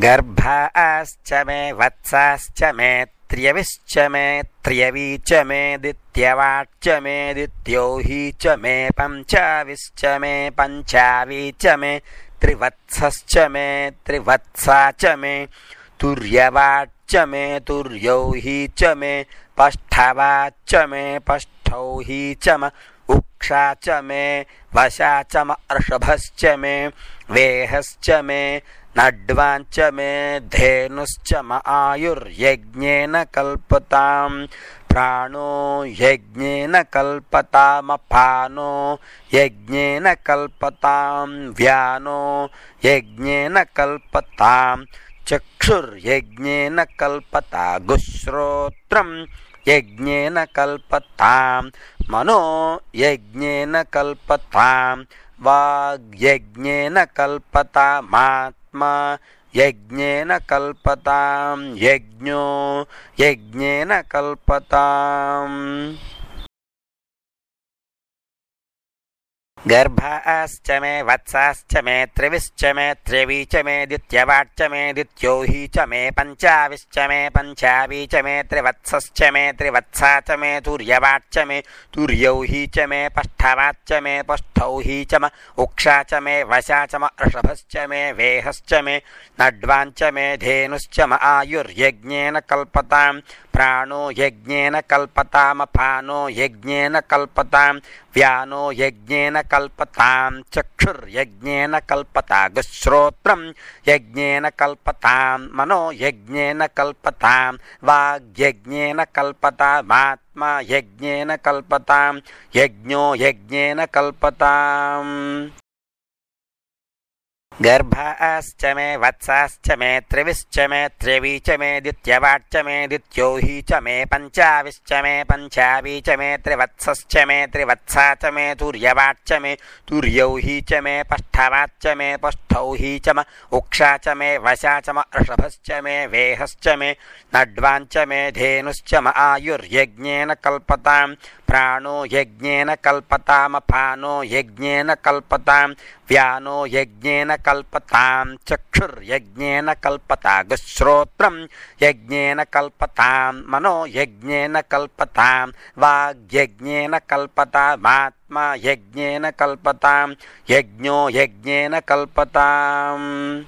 गर्भाश्च मे वत्साश्च मे त्र्यविश्च मे त्र्यवी च मे दित्यवाच्च मे दित्योहि च मे पञ्चाविश्च मे पञ्चावी च मे त्रिवत्सश्च मे त्रिवत्सा च मे तुर्यवाच्च मे तुर्यौहि च मे पष्ठवाच्च मे पष्ठौहि च मे उक्षा च मे वशा च मे अर्षभश्च मे वेहश्च मे नड्वाञ्च मे धेनुश्च म आयुर्यज्ञेन कल्पतां प्राणो यज्ञेन कल्पतामपानो यज्ञेन कल्पतां व्यानो यज्ञेन कल्पतां चक्षुर्यज्ञेन कल्पता गुश्रोत्रं यज्ञेन कल्पतां मनो यज्ञेन कल्पतां वाग्यज्ञेन कल्पतामात्मा यज्ञेन कल्पतां यज्ञो यज्ञेन कल्पताम् गर्भाश्च मे वत्साश्च मे त्रिविश्च मे त्र्यवी च मे दित्यवाच्च मे दित्योहि च मे पञ्चाविश्च मे पञ्चावी च मे त्रिवत्सश्च मे त्रिवत्सा च मे तुर्यवाच्च मे तुर्यौहि च मे पष्ठवाच्च मे पष्ठौहि च मे उक्षा च मे वशा च मे अर्षभश्च मे वेहश्च मे नड्वाञ्च मे धेनुश्च मे आयुर्यज्ञेन कल्पतां प्राणो यज्ञेन कल्पतामपानो यज्ञेन कल्पतां व्यानो यज्ञेन कल्पतां चक्षुर्यज्ञेन कल्पता गुश्रोत्रं यज्ञेन कल्पतां मनो यज्ञेन कल्पतां वाग्यज्ञेन कल्पतामात्मा यज्ञेन कल्पतां यज्ञो यज्ञेन कल्पताम् गर्भाश्च मे वत्साश्च मे त्रिविश्च मे त्र्यवी च मे दित्यवाच्च मे दित्योहि च मे पञ्चाविश्च मे पञ्चावी च मे त्रिवत्सश्च मे त्रिवत्सा च मे तुर्यवाच्च मे तुर्यौहि च मे पष्ठवाच्च मे पष्ठौहि च मे उक्षा च मे वशा च मे अर्षभश्च मे वेहश्च मे नड्वाञ्च मे धेनुश्च मे आयुर्यज्ञेन कल्पतां प्राणो यज्ञेन कल्पतामपानो यज्ञेन कल्पतां व्यानो यज्ञेन कल्पतां चक्षुर्यज्ञेन कल्पता गुश्रोत्रं यज्ञेन कल्पतां मनो यज्ञेन कल्पतां वाग्यज्ञेन कल्पतामात्मा यज्ञेन कल्पतां यज्ञो यज्ञेन कल्पताम्